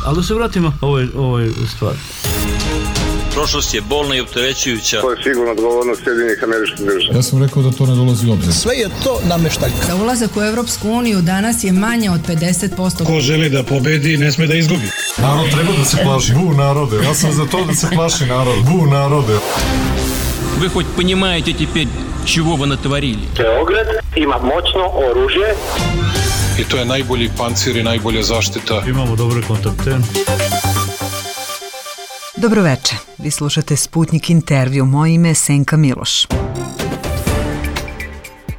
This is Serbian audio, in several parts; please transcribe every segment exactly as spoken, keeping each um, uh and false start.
Ali da se vratimo ovoj, ovoj stvari. Prošlost je bolna i opterećujuća. To je sigurno odgovornost Sjedinjenih Američkih Država. Ja sam rekao da to ne dolazi u obzir. Sve je to nameštaljka. Za ulazak u Evropsku uniju danas je manje od pedeset posto. Ko želi da pobedi, ne sme da izgubi. Narod treba da se plaši. Bu narode. Ja sam za to da se plaši narod. Bu narode. Вы хоть понимаете теперь, чего вы натворили? Beograd ima moćno oružje. I to je najbolji pancir i najbolja zaštita. Imamo dobre kontakte. Dobroveče, vi slušate Sputnik intervju, moje ime je Senka Miloš.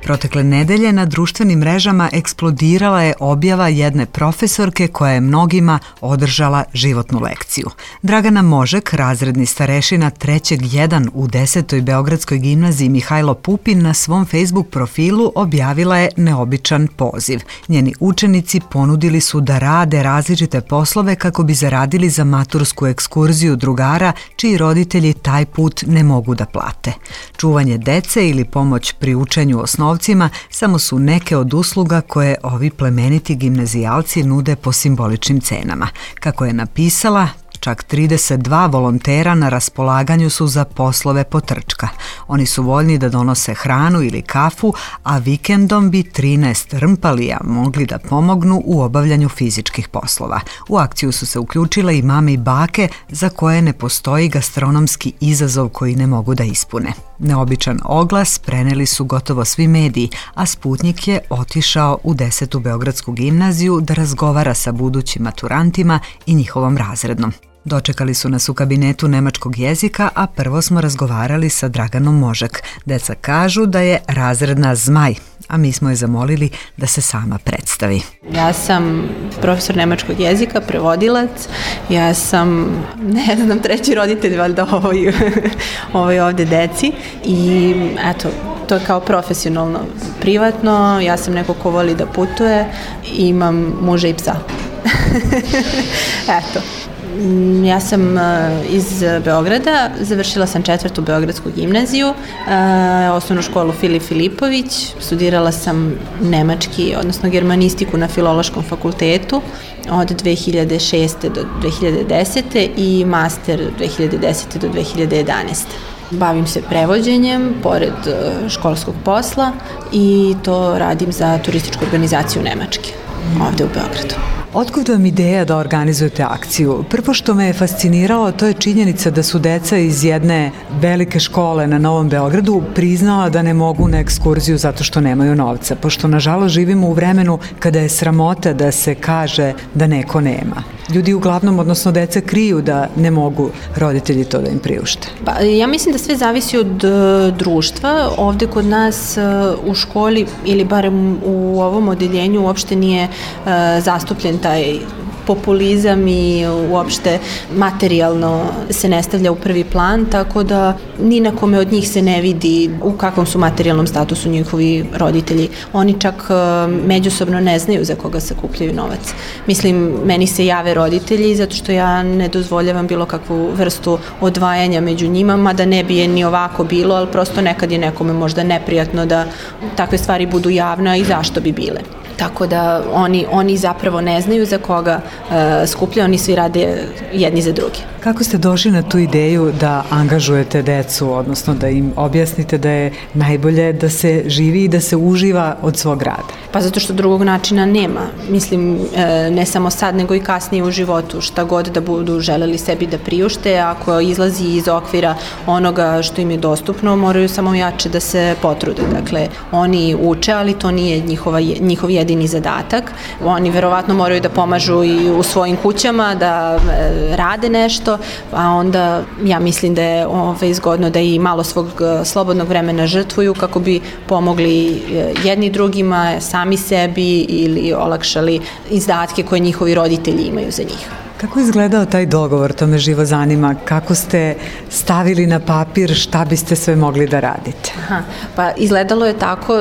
Protekle nedelje na društvenim mrežama eksplodirala je objava jedne profesorke koja je mnogima održala životnu lekciju. Dragana Možek, razredni starešina trećeg jedan u desetoj Beogradskoj gimnaziji Mihajlo Pupin, na svom Facebook profilu objavila je neobičan poziv. Njeni učenici ponudili su da rade različite poslove kako bi zaradili za matursku ekskurziju drugara čiji roditelji taj put ne mogu da plate. Čuvanje dece ili pomoć pri učenju osnovnog samo su neke od usluga koje ovi plemeniti gimnazijalci nude po simboličnim cenama. Kako je napisala, čak trideset dva volontera na raspolaganju su za poslove potrčka. Oni su voljni da donose hranu ili kafu, a vikendom bi trinaest rmpalija mogli da pomognu u obavljanju fizičkih poslova. U akciju su se uključile i mame i bake za koje ne postoji gastronomski izazov koji ne mogu da ispune. Neobičan oglas preneli su gotovo svi mediji, a Sputnik je otišao u desetu Beogradsku gimnaziju da razgovara sa budućim maturantima i njihovom razrednom. Dočekali su nas u kabinetu nemačkog jezika, a prvo smo razgovarali sa Draganom Možek. Deca kažu da je razredna zmaj, a mi smo je zamolili da se sama predstavi. Ja sam profesor nemačkog jezika, prevodilac, ja sam, ne znam, treći roditelj valjda ovoj, ovoj ovde deci i eto, to je kao profesionalno, privatno, ja sam neko ko voli da putuje i imam muža i psa. Eto. Ja sam iz Beograda, završila sam četvrtu Beogradsku gimnaziju, osnovnu školu Filip Filipović, studirala sam nemački, odnosno germanistiku na Filološkom fakultetu od dve hiljade šeste do dve hiljade desete i master dve hiljade desete do dve hiljade jedanaeste. Bavim se prevođenjem pored školskog posla i to radim za turističku organizaciju Nemačke ovde u Beogradu. Otkud vam ideja da organizujete akciju? Prvo što me je fasciniralo, to je činjenica da su deca iz jedne velike škole na Novom Beogradu priznala da ne mogu na ekskurziju zato što nemaju novca, pošto nažalost živimo u vremenu kada je sramota da se kaže da neko nema. Ljudi uglavnom, odnosno deca, kriju da ne mogu roditelji to da im priušte. Pa, ja mislim da sve zavisi od uh, društva. Ovde kod nas uh, u školi ili barem u ovom odeljenju uopšte nije uh, zastupljen taj populizam i uopšte materijalno se ne stavlja u prvi plan, tako da ni na kome od njih se ne vidi u kakvom su materijalnom statusu njihovi roditelji. Oni čak međusobno ne znaju za koga sakupljaju novac. Mislim, meni se jave roditelji zato što ja ne dozvoljavam bilo kakvu vrstu odvajanja među njima, mada ne bi je ni ovako bilo, ali prosto nekad je nekome možda neprijatno da takve stvari budu javne i zašto bi bile. Tako da oni, oni zapravo ne znaju za koga e, skuplja, oni svi rade jedni za drugi. Kako ste došli na tu ideju da angažujete decu, odnosno da im objasnite da je najbolje da se živi i da se uživa od svog rada? Pa zato što drugog načina nema. Mislim, e, ne samo sad, nego i kasnije u životu. Šta god da budu želeli sebi da priušte, ako izlazi iz okvira onoga što im je dostupno, moraju samo jače da se potrude. Dakle, oni uče, ali to nije njihova, njihov jedini zadatak. Oni verovatno moraju da pomažu i u svojim kućama, da e, rade nešto, a onda ja mislim da je ove, zgodno da i malo svog slobodnog vremena žrtvuju kako bi pomogli jedni drugima, sami sebi ili olakšali izdatke koje njihovi roditelji imaju za njih. Kako je izgledao taj dogovor, to me živo zanima, kako ste stavili na papir šta biste sve mogli da radite? Aha, pa izgledalo je tako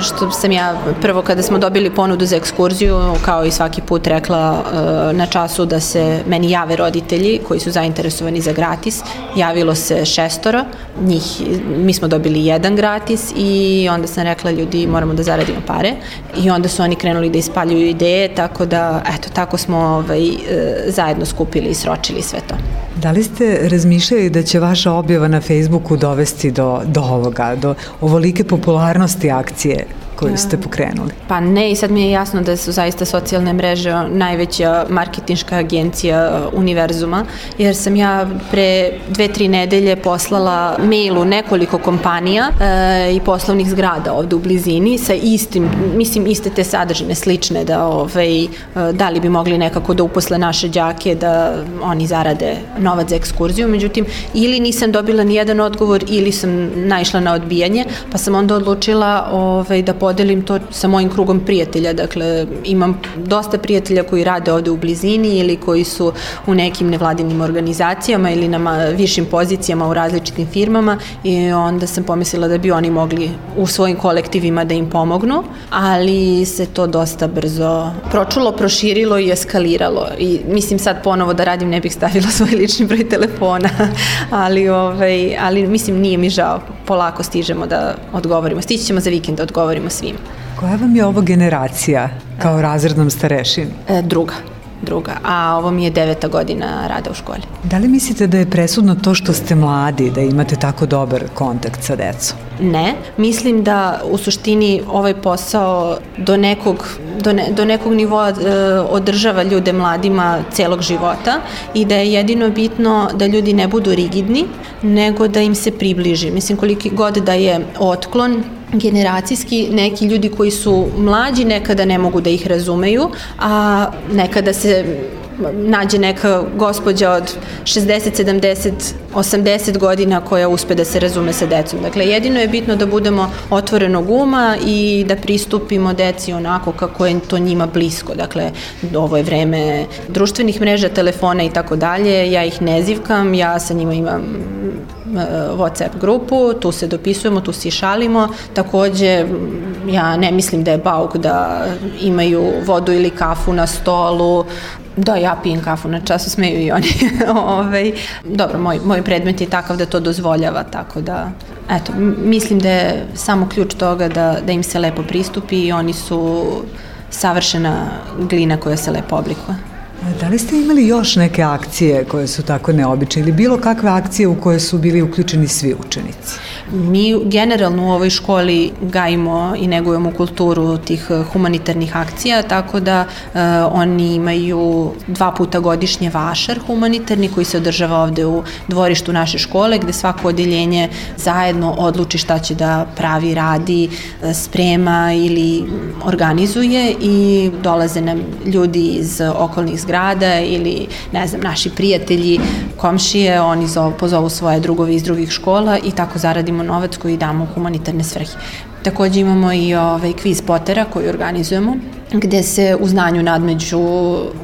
što sam ja prvo kada smo dobili ponudu za ekskurziju, kao i svaki put rekla na času da se meni jave roditelji koji su zainteresovani za gratis, javilo se šestoro, njih, mi smo dobili jedan gratis i onda sam rekla ljudi moramo da zaradimo pare i onda su oni krenuli da ispaljuju ideje, tako da eto, tako smo ovaj, zajedno skupili i sročili sve to. Da li ste razmišljali da će vaša objava na Facebooku dovesti do, do ovoga, do ovolike popularnosti akcije koju ste pokrenuli? Pa ne, i sad mi je jasno da su zaista socijalne mreže najveća marketinška agencija univerzuma, jer sam ja pre dve, tri nedelje poslala mail u nekoliko kompanija e, i poslovnih zgrada ovde u blizini sa istim, mislim iste te sadržine slične, da, ovaj, da li bi mogli nekako da uposle naše đake da oni zarade novac za ekskurziju, međutim ili nisam dobila ni jedan odgovor ili sam naišla na odbijanje, pa sam onda odlučila ovaj, da podelim to sa mojim krugom prijatelja. Dakle, imam dosta prijatelja koji rade ovde u blizini ili koji su u nekim nevladinim organizacijama ili na višim pozicijama u različitim firmama i onda sam pomislila da bi oni mogli u svojim kolektivima da im pomognu, ali se to dosta brzo pročulo, proširilo i eskaliralo. I mislim sad ponovo da radim ne bih stavila svoj lični broj telefona, ali, ovaj, ali mislim nije mi žao. Polako stižemo da odgovorimo. Stići ćemo za vikend da odgovorimo svim. Koja vam je ovo generacija kao razrednom starešini? E, druga. druga, a ovo mi je deveta godina rada u školi. Da li mislite da je presudno to što ste mladi, da imate tako dobar kontakt sa decom? Ne, mislim da u suštini ovaj posao do nekog, do ne, do nekog nivoa e, održava ljude mladima celog života i da je jedino bitno da ljudi ne budu rigidni, nego da im se približi. Mislim, koliki god da je otklon generacijski, neki ljudi koji su mlađi nekada ne mogu da ih razumeju, a nekada se nađe neka gospođa od šezdeset, sedamdeset, osamdeset godina koja uspe da se razume sa decom. Dakle, jedino je bitno da budemo otvorenog uma i da pristupimo deci onako kako je to njima blisko. Dakle, ovo je vreme društvenih mreža, telefona i tako dalje. Ja ih ne zivkam, ja sa njima imam WhatsApp grupu, tu se dopisujemo, tu se šalimo. Takođe, ja ne mislim da je bauk da imaju vodu ili kafu na stolu. Da, ja pijem kafu na času, smeju i oni. Ove, dobro, moj, moj predmet je takav da to dozvoljava, tako da, eto, mislim da je samo ključ toga da, da im se lepo pristupi i oni su savršena glina koja se lepo oblikuje. Da li ste imali još neke akcije koje su tako neobične ili bilo kakve akcije u koje su bili uključeni svi učenici? Mi generalno u ovoj školi gajimo i negujemo kulturu tih humanitarnih akcija, tako da e, oni imaju dva puta godišnje vašar humanitarni koji se održava ovde u dvorištu naše škole, gde svako odeljenje zajedno odluči šta će da pravi, radi, sprema ili organizuje i dolaze nam ljudi iz okolnih zgrada ili, ne znam, naši prijatelji, komšije, oni zov, pozovu svoje drugove iz drugih škola i tako zaradimo novac koji damo u humanitarne svrhe. Takođe imamo i ovaj kviz Potera koji organizujemo, gde se u znanju nadmeđu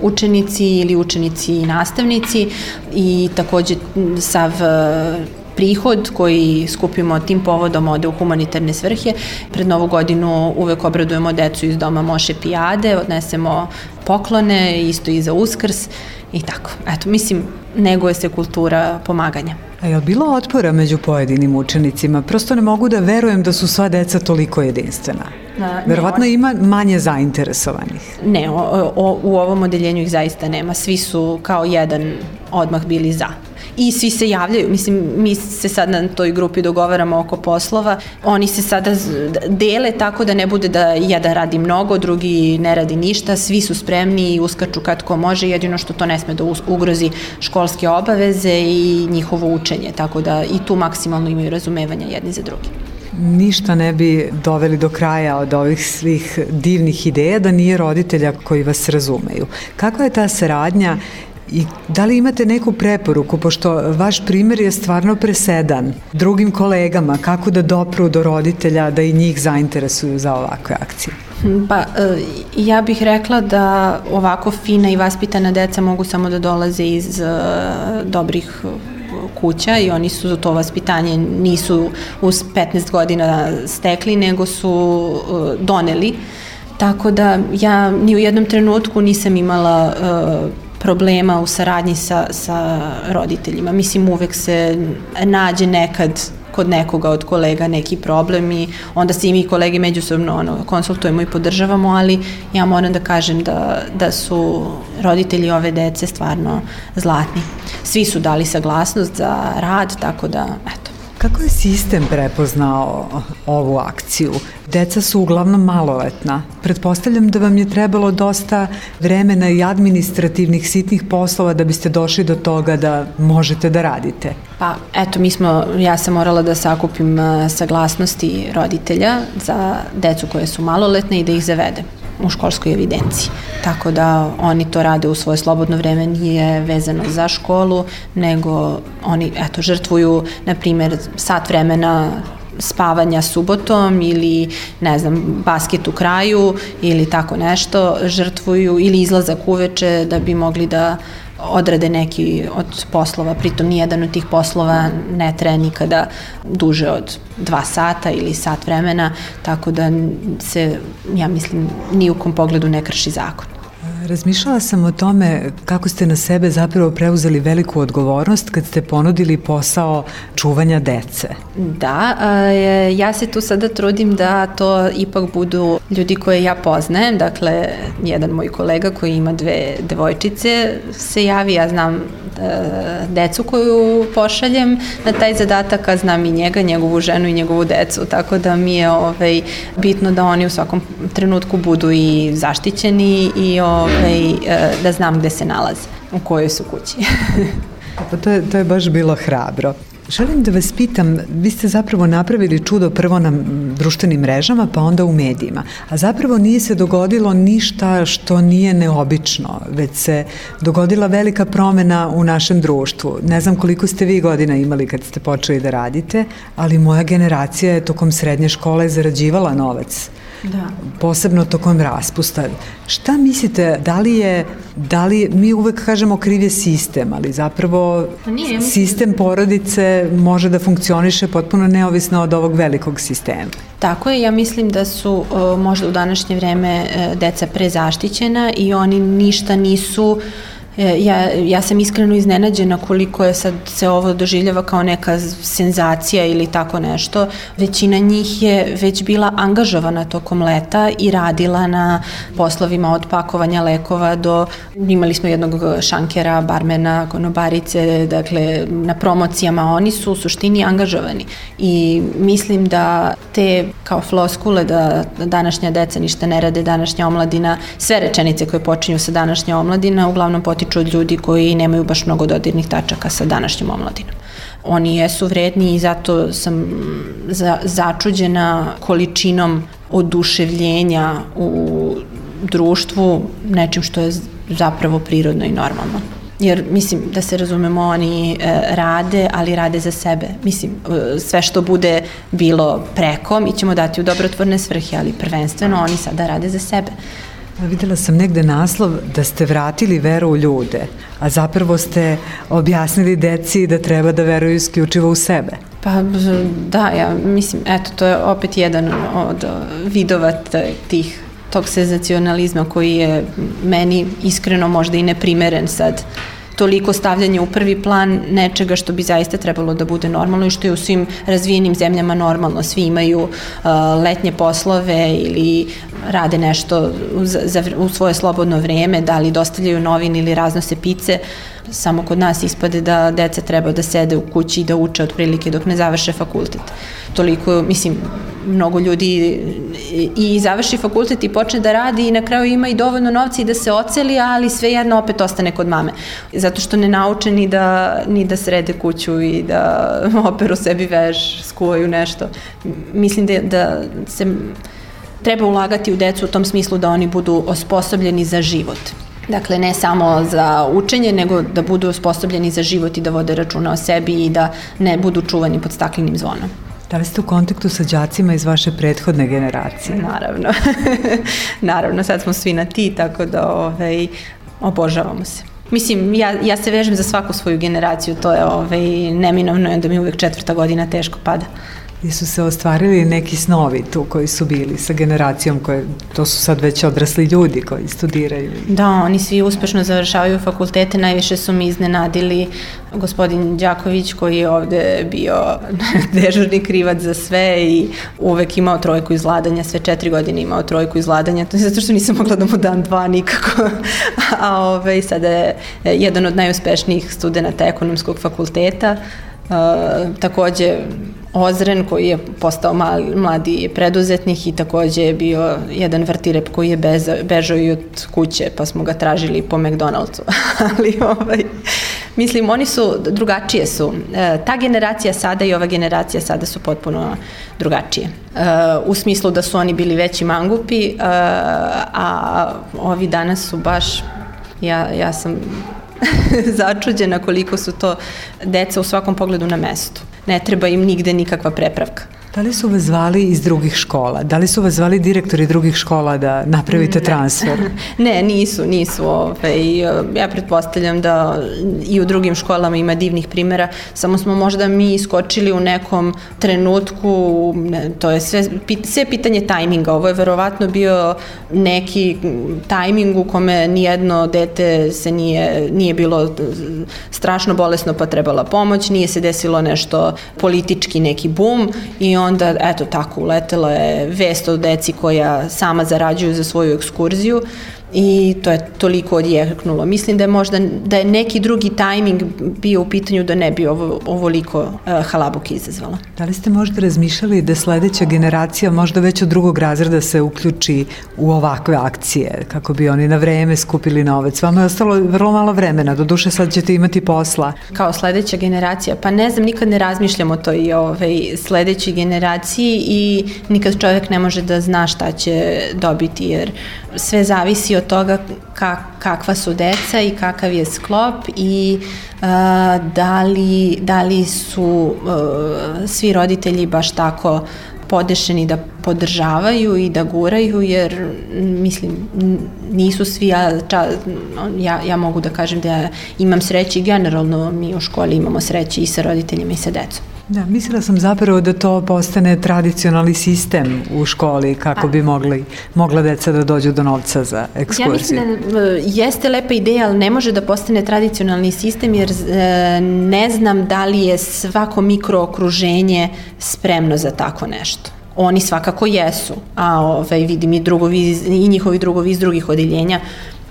učenici ili učenici i nastavnici i takođe sav prihod koji skupimo tim povodom ode u humanitarne svrhe. Pred Novu godinu uvek obradujemo decu iz doma Moše Pijade, odnesemo poklone, isto i za Uskrs i tako. Eto, mislim, neguje se kultura pomaganja. A je li bilo otpora među pojedinim učenicima? Prosto ne mogu da verujem da su sva deca toliko jedinstvena. A, Verovatno ne, ima manje zainteresovanih. Ne, o, o, u ovom odeljenju ih zaista nema. Svi su kao jedan odmah bili za. I svi se javljaju, mislim, mi se sad na toj grupi dogovaramo oko poslova, oni se sada dele tako da ne bude da jedan radi mnogo, drugi ne radi ništa, svi su spremni i uskaču kad ko može, jedino što to ne sme da ugrozi školske obaveze i njihovo učenje, tako da i tu maksimalno imaju razumevanja jedni za drugi. Ništa ne bi doveli do kraja od ovih svih divnih ideja da nije roditelja koji vas razumeju. Kakva je ta saradnja I da li imate neku preporuku, pošto vaš primjer je stvarno presedan drugim kolegama, kako da dopru do roditelja da i njih zainteresuju za ovakve akcije? Pa, ja bih rekla da ovako fina i vaspitana deca mogu samo da dolaze iz dobrih kuća i oni su to vaspitanje nisu uz petnaest godina stekli, nego su doneli. Tako da ja ni u jednom trenutku nisam imala problema u saradnji sa, sa roditeljima. Mislim, uvek se nađe nekad kod nekoga od kolega neki problem i onda se i mi kolege međusobno ono, konsultujemo i podržavamo, ali ja moram da kažem da, da su roditelji ove dece stvarno zlatni. Svi su dali saglasnost za rad, tako da, eto. Kako je sistem prepoznao ovu akciju? Deca su uglavnom maloletna. Pretpostavljam da vam je trebalo dosta vremena i administrativnih sitnih poslova da biste došli do toga da možete da radite. Pa, eto, mi smo, ja sam morala da sakupim saglasnosti roditelja za decu koje su maloletne i da ih zavedem u školskoj evidenciji. Tako da oni to rade u svoje slobodno vreme, nije vezano za školu, nego oni, eto, žrtvuju, na primjer, sat vremena spavanja subotom ili, ne znam, basket u kraju ili tako nešto, žrtvuju ili izlazak uveče da bi mogli da odrade neki od poslova, pritom nijedan od tih poslova ne traje nikada duže od dva sata ili sat vremena, tako da se, ja mislim, ni u kom pogledu ne krši zakon. Razmišljala sam o tome kako ste na sebe zapravo preuzeli veliku odgovornost kad ste ponudili posao čuvanja dece. Da, ja se tu sada trudim da to ipak budu ljudi koje ja poznajem, dakle, jedan moj kolega koji ima dve devojčice se javi, ja znam decu koju pošaljem na taj zadatak, a znam i njega, njegovu ženu i njegovu decu, tako da mi je ovaj, bitno da oni u svakom trenutku budu i zaštićeni i ovaj, da znam gde se nalaze, u kojoj su kući. Pa to je, to je baš bilo hrabro. Želim da vas pitam, vi ste zapravo napravili čudo prvo na društvenim mrežama, pa onda u medijima, a zapravo nije se dogodilo ništa što nije neobično, već se dogodila velika promena u našem društvu. Ne znam koliko ste vi godina imali kad ste počeli da radite, ali moja generacija je tokom srednje škole zarađivala novac. Da. Posebno tokom raspusta. Šta mislite, da li je, da li, mi uvek kažemo kriv je sistem, ali zapravo nije, mislim... sistem porodice može da funkcioniše potpuno neovisno od ovog velikog sistema. Tako je, ja mislim da su možda u današnje vreme deca prezaštićena i oni ništa nisu. Ja, ja sam iskreno iznenađena koliko je sad se ovo doživljava kao neka senzacija ili tako nešto. Većina njih je već bila angažovana tokom leta i radila na poslovima od pakovanja lekova do, imali smo jednog šankera, barmena, konobarice, dakle na promocijama, oni su u suštini angažovani i mislim da te kao floskule da današnja deca ništa ne rade, današnja omladina, sve rečenice koje počinju sa današnja omladina uglavnom potiču od ljudi koji nemaju baš mnogo dodirnih tačaka sa današnjom omladinom. Oni jesu vredni i zato sam za, začuđena količinom oduševljenja u društvu, nečim što je zapravo prirodno i normalno. Jer, mislim, da se razumemo, oni e, rade, ali rade za sebe. Mislim, e, sve što bude bilo preko, mi ćemo dati u dobrotvorne svrhe, ali prvenstveno oni sada rade za sebe. Videla sam negde naslov da ste vratili veru u ljude, a zapravo ste objasnili deci da treba da veruju isključivo u sebe. Pa da, ja mislim, eto, to je opet jedan od vidova tih, tog senzacionalizma koji je meni iskreno možda i neprimeren sad. Toliko stavljanje u prvi plan nečega što bi zaista trebalo da bude normalno i što je u svim razvijenim zemljama normalno. Svi imaju uh, letnje poslove ili rade nešto u, za, u svoje slobodno vreme, da li dostavljaju novine ili raznose pice. Samo kod nas ispade da deca treba da sede u kući i da uče otprilike dok ne završe fakultet. Toliko, mislim, mnogo ljudi i završi fakultet i počne da radi i na kraju ima i dovoljno novca i da se oceli, ali svejedno opet ostane kod mame. Zato što ne nauče ni da, ni da srede kuću i da operu sebi veš, skuvaju nešto. Mislim da, da se treba ulagati u decu u tom smislu da oni budu osposobljeni za život. Dakle, ne samo za učenje, nego da budu osposobljeni za život i da vode računa o sebi i da ne budu čuvani pod staklenim zvonom. Da li ste u kontaktu sa đacima iz vaše prethodne generacije? Naravno. Naravno, sad smo svi na ti, tako da ovaj, obožavamo se. Mislim, ja, ja se vežem za svaku svoju generaciju, to je ovaj, neminovno, da mi uvek četvrta godina teško pada. I su se ostvarili neki snovi tu koji su bili sa generacijom, koje, to su sad već odrasli ljudi koji studiraju. Da, oni svi uspešno završavaju fakultete, najviše su mi iznenadili gospodin Đaković koji je ovde bio dežurni krivac za sve i uvek imao trojku iz vladanja, sve četiri godine imao trojku iz vladanja, to je zato što nisam mogla da mu dam dva nikako, a ovaj, sada je jedan od najuspešnijih studenta ekonomskog fakulteta. Uh, takođe Ozren koji je postao mali, mladi preduzetnik i takođe je bio jedan vrtirep koji je bezo, bežao i od kuće pa smo ga tražili po McDonald'su. Ali ovaj, mislim, oni su, drugačije su. Uh, ta generacija sada i ova generacija sada su potpuno drugačije. Uh, u smislu da su oni bili veći mangupi, uh, a ovi danas su baš, ja, ja sam začuđena koliko su to deca u svakom pogledu na mestu. Ne treba im nigde nikakva prepravka. Da li su vas zvali iz drugih škola? Da li su vas zvali direktori drugih škola da napravite ne. transfer? Ne, nisu, nisu. Ovaj, ja pretpostavljam da i u drugim školama ima divnih primjera, samo smo možda mi iskočili u nekom trenutku, ne, to je sve, sve pitanje tajminga. Ovo je verovatno bio neki tajming u kome nijedno dete se nije, nije bilo strašno bolesno pa trebala pomoć, nije se desilo nešto politički, neki bum i onda, eto tako, uletela je vest o deci koja sama zarađuju za svoju ekskurziju i to je toliko odjeknulo. Mislim da je možda, da je neki drugi tajming bio u pitanju da ne bi ovo, ovoliko uh, halabuke izazvala. Da li ste možda razmišljali da sledeća generacija možda već od drugog razreda se uključi u ovakve akcije, kako bi oni na vreme skupili novac? Vama je ostalo vrlo malo vremena, doduše sad ćete imati posla. Kao sledeća generacija, pa ne znam, nikad ne razmišljam o toj ovaj, sledećoj generaciji i nikad čovjek ne može da zna šta će dobiti, jer sve zavisi od toga kak, kakva su deca i kakav je sklop i uh, da, li, da li su uh, svi roditelji baš tako podešeni da podržavaju i da guraju, jer mislim nisu svi, ja, ča, ja, ja mogu da kažem da imam sreće i generalno mi u školi imamo sreće i sa roditeljima i sa decom. Da, mislila sam zapravo da to postane tradicionalni sistem u školi kako bi mogli, mogla deca da dođu do novca za ekskurziju. Ja mislim da jeste lepa ideja, ali ne može da postane tradicionalni sistem jer ne znam da li je svako mikrookruženje spremno za tako nešto. Oni svakako jesu, a ovaj, vidim i, drugovi, i njihovi drugovi iz drugih odeljenja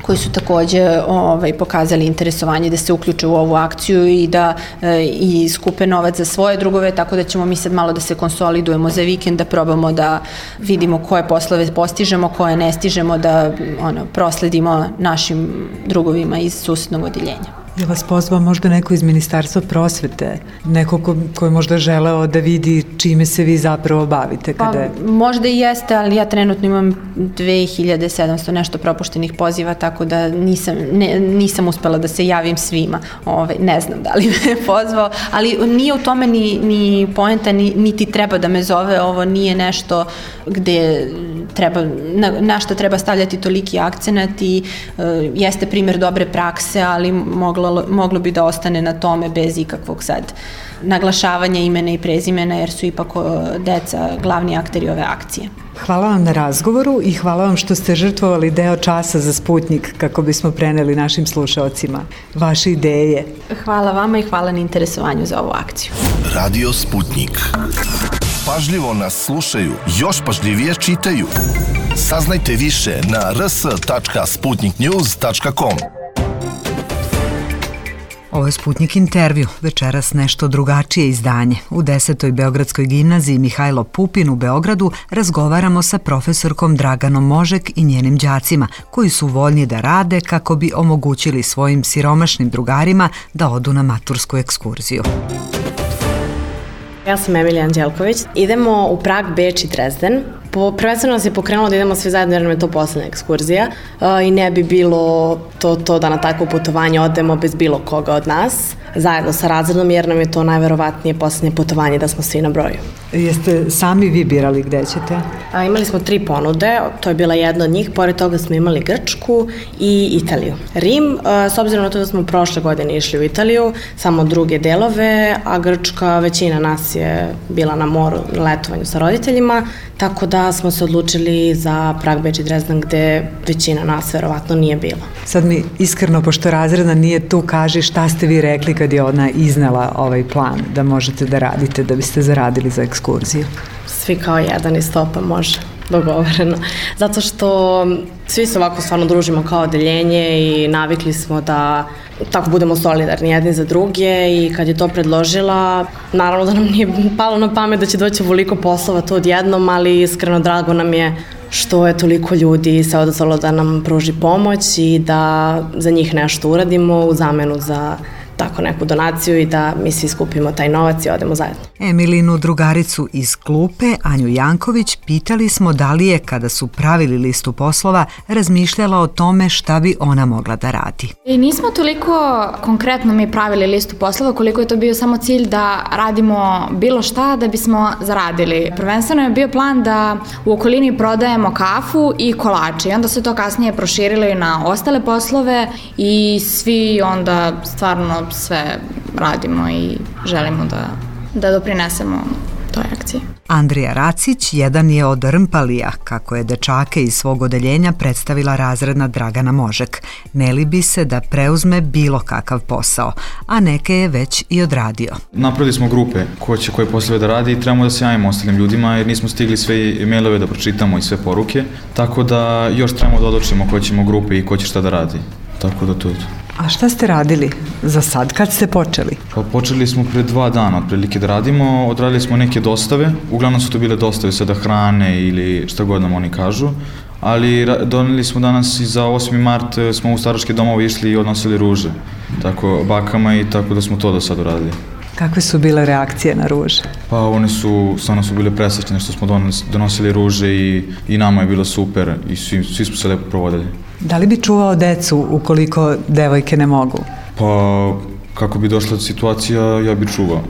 koji su takođe ovaj, pokazali interesovanje da se uključe u ovu akciju i da e, i skupe novac za svoje drugove, tako da ćemo mi sad malo da se konsolidujemo za vikend, da probamo da vidimo koje poslove postižemo, koje ne stižemo, da ono, prosledimo našim drugovima iz susednog odeljenja. Je vas pozvao možda neko iz Ministarstva prosvete, neko ko, ko je možda želeo da vidi čime se vi zapravo bavite? Kada je... Pa, možda i jeste, ali ja trenutno imam dve hiljade sedamsto nešto propuštenih poziva, tako da nisam, ne, nisam uspela da se javim svima. Ove, ne znam da li me je pozvao, ali nije u tome ni, ni poenta, ni, niti treba da me zove, ovo nije nešto gde treba, na, na što treba stavljati toliki akcenat i e, jeste primjer dobre prakse, ali moglo moglo bi da ostane na tome bez ikakvog sad naglašavanja imena i prezimena, jer su ipak deca glavni akteri ove akcije. Hvala vam na razgovoru i hvala vam što ste žrtvovali deo časa za Sputnjik kako bismo preneli našim slušaocima vaše ideje. Hvala vama i hvala na interesovanju za ovu akciju. Radio Sputnjik. Pažljivo nas slušaju, još pažljivije čitaju. Saznajte više na r s tačka sputnik news tačka com. Ovo je Sputnjik intervju, večeras nešto drugačije izdanje. U desetoj Beogradskoj gimnaziji Mihajlo Pupin u Beogradu razgovaramo sa profesorkom Draganom Možek i njenim đacima, koji su voljni da rade kako bi omogućili svojim siromašnim drugarima da odu na matursku ekskurziju. Ja sam Emilija Anđelković. Idemo u Prag, Beč i Dresden. Po, prvenstveno nas je pokrenulo da idemo svi zajedno jer nam je to poslednja ekskurzija uh, i ne bi bilo to, to da na takvo putovanje odemo bez bilo koga od nas, zajedno sa razredom jer nam je to najverovatnije poslednje putovanje da smo svi na broju. Jeste sami vi birali gde ćete? A, imali smo tri ponude, to je bila jedna od njih, pored toga smo imali Grčku i Italiju. Rim, a, s obzirom na to da smo prošle godine išli u Italiju, samo druge delove, a Grčka, većina nas je bila na moru, na letovanju sa roditeljima, tako da smo se odlučili za Prag, Beč i Dresden, gde većina nas verovatno nije bila. Sad mi iskreno, pošto razredna nije tu, kaži šta ste vi rekli kad je ona iznela ovaj plan da možete da radite, da biste zaradili za ekskurziju? Svi kao jedan i stopa može, dogovoreno. Zato što svi se ovako stvarno družimo kao odeljenje i navikli smo da tako budemo solidarni jedni za druge i kad je to predložila, naravno da nam nije palo na pamet da će doći ovoliko poslova to odjednom, ali iskreno drago nam je što je toliko ljudi se odazvalo da nam pruži pomoć i da za njih nešto uradimo u zamenu za tako neku donaciju i da mi svi skupimo taj novac i odemo zajedno. Emilinu drugaricu iz klupe, Anju Janković, pitali smo da li je, kada su pravili listu poslova, razmišljala o tome šta bi ona mogla da radi. I nismo toliko konkretno mi pravili listu poslova koliko je to bio samo cilj da radimo bilo šta da bismo zaradili. Prvenstveno je bio plan da u okolini prodajemo kafu i kolače i onda se to kasnije proširilo i na ostale poslove i svi onda stvarno sve radimo i želimo da, da doprinesemo toj akciji. Andrija Racić jedan je od Rmpalija, kako je dečake iz svog odeljenja predstavila razredna Dragana Možek. Ne libi se da preuzme bilo kakav posao, a neke je već i odradio. Napravili smo grupe ko će koje poslove da radi i trebamo da se javimo ostalim ljudima jer nismo stigli sve e-mailove da pročitamo i sve poruke, tako da još trebamo da odlučimo koje ćemo grupe i ko će šta da radi. Tako da to je to. A šta ste radili za sad? Kad ste počeli? Pa počeli smo pre dva dana otprilike da radimo, odradili smo neke dostave, uglavnom su to bile dostave sada hrane ili šta god nam oni kažu, ali doneli smo danas i za osmi mart smo u staračke domove išli i odnosili ruže, tako bakama i tako da smo to do sad uradili. Kakve su bile reakcije na ruže? Pa one su, stvarno su bile presrećene što smo donosili ruže i, i nama je bilo super i svi, svi smo se lepo provodili. Da li bi čuvao decu ukoliko devojke ne mogu? Pa kako bi došla situacija, ja bi čuvao.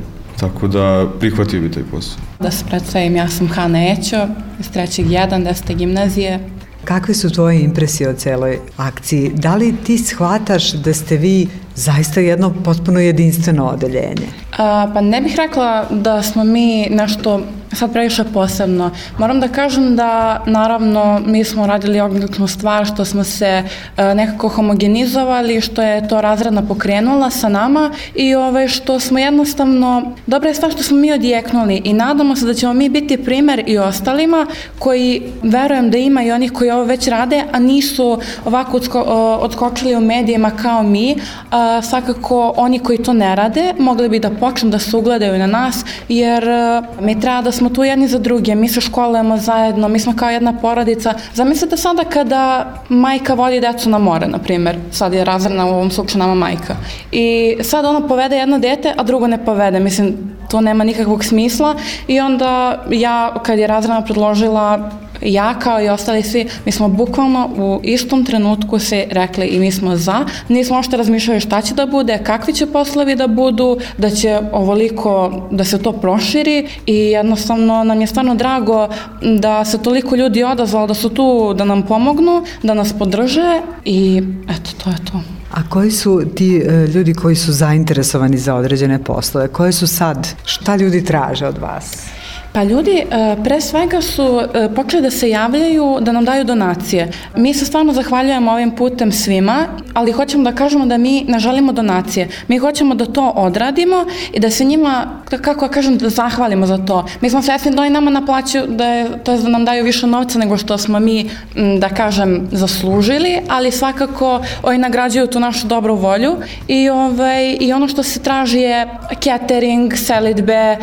Tako da prihvatio bi taj posao. Da se predstavim, ja sam Hana Ećo iz trećeg jedan, desete gimnazije. Kakve su tvoje impresije o celoj akciji? Da li ti shvataš da ste vi zaista jedno potpuno jedinstveno odeljenje? A, pa ne bih rekla da smo mi nešto sad previše posebno. Moram da kažem da naravno mi smo radili odličnu stvar što smo se a, nekako homogenizovali, što je to razredna pokrenula sa nama i ovaj, što smo jednostavno, dobra je stvar što smo mi odjeknuli i nadamo se da ćemo mi biti primer i ostalima koji verujem da ima i onih koji ovo već rade, a nisu ovako odsko, odskočili u medijima kao mi. A, svakako oni koji to ne rade mogli bi da počnu da se ugledaju na nas jer a, mi treba da smo tu jedni za druge, mi se školujemo zajedno, mi smo kao jedna porodica. Zamislite sada kada majka vodi decu na more, na primjer, sad je razredna u ovom slučaju nama majka i sad ona povede jedno dete, a drugo ne povede, mislim, to nema nikakvog smisla i onda ja, kad je razredna predložila ja kao i ostali svi, mi smo bukvalno u istom trenutku se rekli i mi smo za, nismo ošte razmišljali šta će da bude, kakvi će poslovi da budu, da će ovoliko, da se to proširi i jednostavno nam je stvarno drago da se toliko ljudi odazvalo, da su tu da nam pomognu, da nas podrže i eto, to je to. A koji su ti uh, ljudi koji su zainteresovani za određene poslove? Koje su sad? Šta ljudi traže od vas? Pa ljudi pre svega su počeli da se javljaju da nam daju donacije. Mi se stvarno zahvaljujemo ovim putem svima, ali hoćemo da kažemo da mi ne želimo donacije. Mi hoćemo da to odradimo i da se njima, kako ja kažem, da zahvalimo za to. Mi smo svesni da oni nama naplaćuju, da, je, to je da nam daju više novca nego što smo mi, da kažem, zaslužili, ali svakako oni nagrađuju tu našu dobru volju i, ovaj, i ono što se traži je catering, selidbe,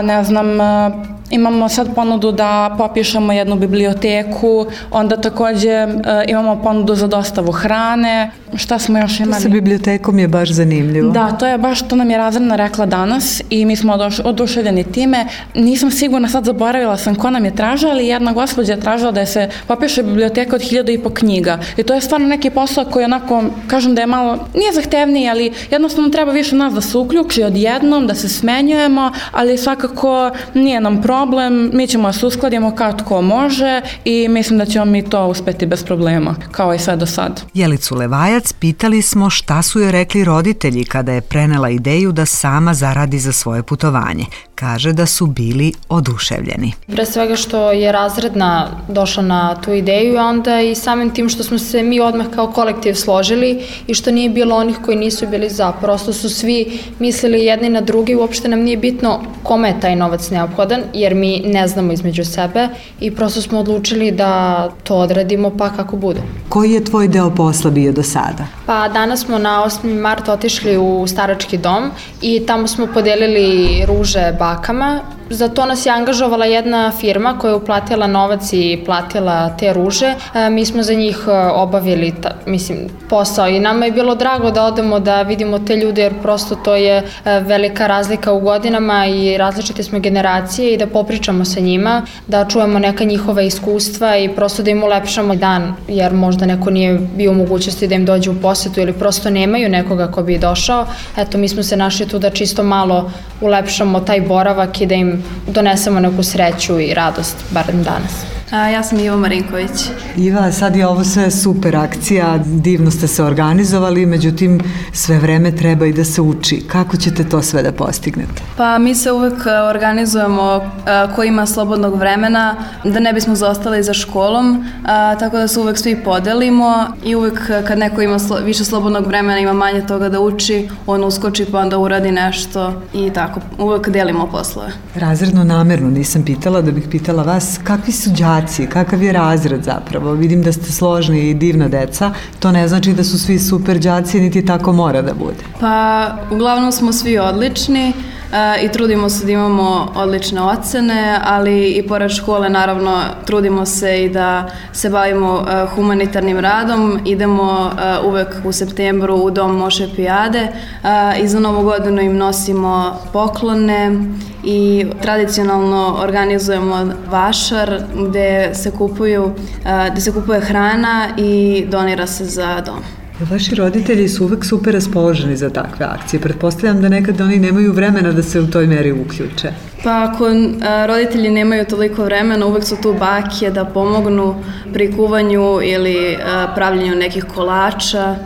ne znam, imamo sad ponudu da popišemo jednu biblioteku, onda takođe e, imamo ponudu za dostavu hrane, šta smo još imali? To sa bibliotekom je baš zanimljivo. Da, to je baš, to nam je razredna rekla danas i mi smo oduševljeni time. Nisam sigurna, sad zaboravila sam ko nam je tražila, ali jedna gospođa je tražila da se popiše biblioteka od hiljadu i po knjiga. I to je stvarno neki posao koji onako, kažem da je malo, nije zahtevniji, ali jednostavno treba više nas da se uključi odjednom, da se smenjujemo, ali svakako nije nam problem, mi ćemo da se uskladimo kao tko može i mislim da ćemo mi to uspeti bez problema, kao i sve do sad. Jelicu Levajac pitali smo šta su joj rekli roditelji kada je prenela ideju da sama zaradi za svoje putovanje. Kaže da su bili oduševljeni. Pre svega što je razredna došla na tu ideju, a onda i samim tim što smo se mi odmah kao kolektiv složili i što nije bilo onih koji nisu bili za. Prosto su svi mislili jedni na drugi, uopšte nam nije bitno kome je taj novac neophodan, jer mi ne znamo između sebe i prosto smo odlučili da to odradimo pa kako bude. Koji je tvoj deo posla bio do sada? Pa danas smo na osmi mart otišli u starački dom i tamo smo podelili ruže bakama. Za to nas je angažovala jedna firma koja je uplatila novac i platila te ruže. E, mi smo za njih obavili ta, mislim, posao i nama je bilo drago da odemo da vidimo te ljude jer prosto to je velika razlika u godinama i različite smo generacije i da popričamo sa njima, da čujemo neka njihova iskustva i prosto da im ulepšamo dan jer možda neko nije bio u mogućnosti da im dođe u posetu ili prosto nemaju nekoga ko bi došao. Eto, mi smo se našli tu da čisto malo ulepšamo taj boravak i da im donesemo neku sreću i radost, barem danas. A, ja sam Iva Marinković. Iva, sad je ovo sve super akcija, divno ste se organizovali, međutim sve vreme treba i da se uči. Kako ćete to sve da postignete? Pa mi se uvek organizujemo ko ima slobodnog vremena, da ne bismo zaostali za školom, a, tako da se uvek svi podelimo i uvek kad neko ima slo, više slobodnog vremena, ima manje toga da uči, on uskoči pa onda uradi nešto i tako, uvek delimo poslove. Razredno namerno nisam pitala, da bih pitala vas, kakvi su đaci? Kakav je razred zapravo? Vidim da ste složni i divna deca. To ne znači da su svi super đaci, niti tako mora da bude. Pa, uglavnom smo svi odlični i trudimo se da imamo odlične ocene, ali i pored škole naravno trudimo se i da se bavimo humanitarnim radom. Idemo uvek u septembru u Dom Moše Pijade i za Novu godinu im nosimo poklone i tradicionalno organizujemo vašar gde se kupuju, gde se kupuje hrana i donira se za dom. Vaši roditelji su uvek super raspoloženi za takve akcije. Pretpostavljam da nekad oni nemaju vremena da se u toj meri uključe. Pa ako a, roditelji nemaju toliko vremena, uvek su tu bake da pomognu pri kuvanju ili a, pravljenju nekih kolača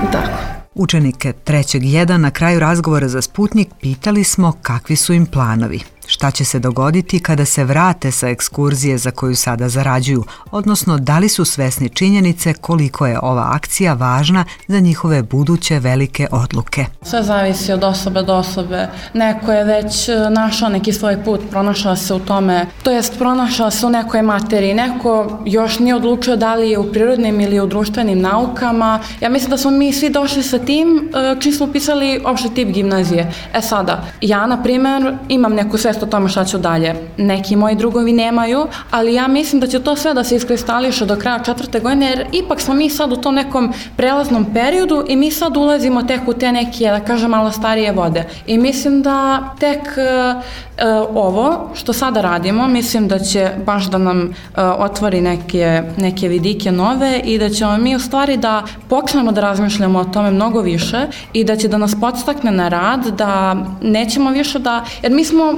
i tako. Učenike trećeg jedan na kraju razgovora za Sputnik pitali smo kakvi su im planovi. Šta će se dogoditi kada se vrate sa ekskurzije za koju sada zarađuju, odnosno da li su svesni činjenice koliko je ova akcija važna za njihove buduće velike odluke. Sve zavisi od osobe do osobe. Neko je već našao neki svoj put, pronašao se u tome, to jest pronašao se u nekoj materiji. Neko još nije odlučio da li je u prirodnim ili u društvenim naukama. Ja mislim da smo mi svi došli sa tim čim smo upisali opšti tip gimnazije. E sada, ja na primjer imam neku svest o tome šta ću dalje. Neki moji drugovi nemaju, ali ja mislim da će to sve da se iskristališe do kraja četvrte godine, jer ipak smo mi sad u tom nekom prelaznom periodu i mi sad ulazimo tek u te neke, da kažem, malo starije vode. I mislim da tek uh, uh, ovo što sada radimo, mislim da će baš da nam uh, otvori neke, neke vidike nove i da ćemo mi u stvari da počnemo da razmišljamo o tome mnogo više i da će da nas podstakne na rad, da nećemo više da, jer mi smo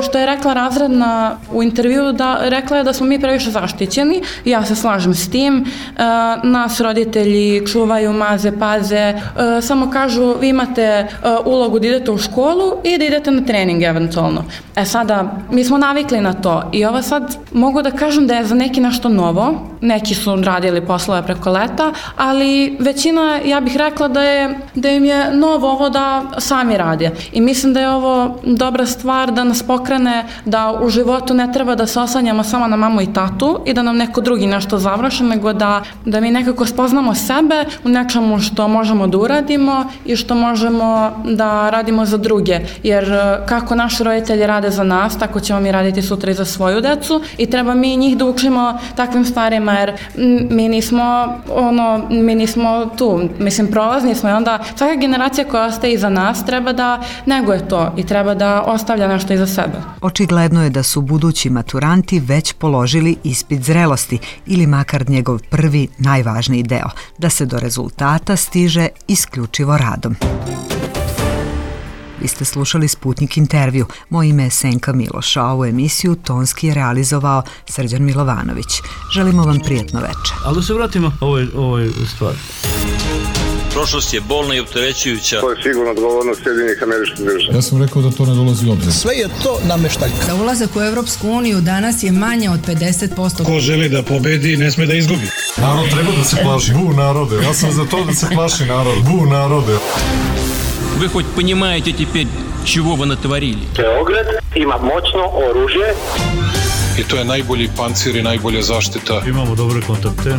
što je rekla razredna u intervju, da rekla je da smo mi previše zaštićeni, ja se slažem s tim, nas roditelji čuvaju, maze, paze, samo kažu vi imate ulogu da idete u školu i da idete na trening eventualno. E sada, mi smo navikli na to i ovo sad mogu da kažem da je za neki nešto novo, neki su radili poslove preko leta, ali većina, ja bih rekla da je, da im je novo ovo da sami rade i mislim da je ovo dobra stvar da nas pokrene da u životu ne treba da se oslanjamo samo na mamu i tatu i da nam neko drugi nešto završi, nego da, da mi nekako spoznamo sebe u nečemu što možemo da uradimo i što možemo da radimo za druge. Jer kako naši roditelji rade za nas, tako ćemo mi raditi sutra i za svoju decu i treba mi njih da učimo takvim stvarima jer mi nismo, ono, mi nismo tu, mislim, prolazni smo i onda svaka generacija koja ostaje iza nas treba da neguje to i treba da ostavlja nešto iza sebe. Očigledno je da su budući maturanti već položili ispit zrelosti ili makar njegov prvi najvažniji deo, da se do rezultata stiže isključivo radom. Vi ste slušali Sputnik intervju. Moje ime je Senka Miloš, a ovu emisiju tonski je realizovao Srđan Milovanović. Želimo vam prijatno večer. Ali da se vratimo ovoj, ovoj stvari. Prošlost je bolna i opterećujuća. To je sigurno odgovornost Sjedinjenih Američkih Država. Ja sam rekao da to ne dolazi u obzir. Sve je to nameštaljka. Da ulazak u Evropsku uniju danas je manje od pedeset posto. Ko želi da pobedi, ne sme da izgubi. Narod treba da se plaši. Bu narode. Ja sam za to da se plaši narod. Bu narode. Вы хоть понимаете теперь, чего вы натворили? Beograd ima moćno oružje. I to je najbolji pancir i najbolja zaštita. Imamo dobre kontakte.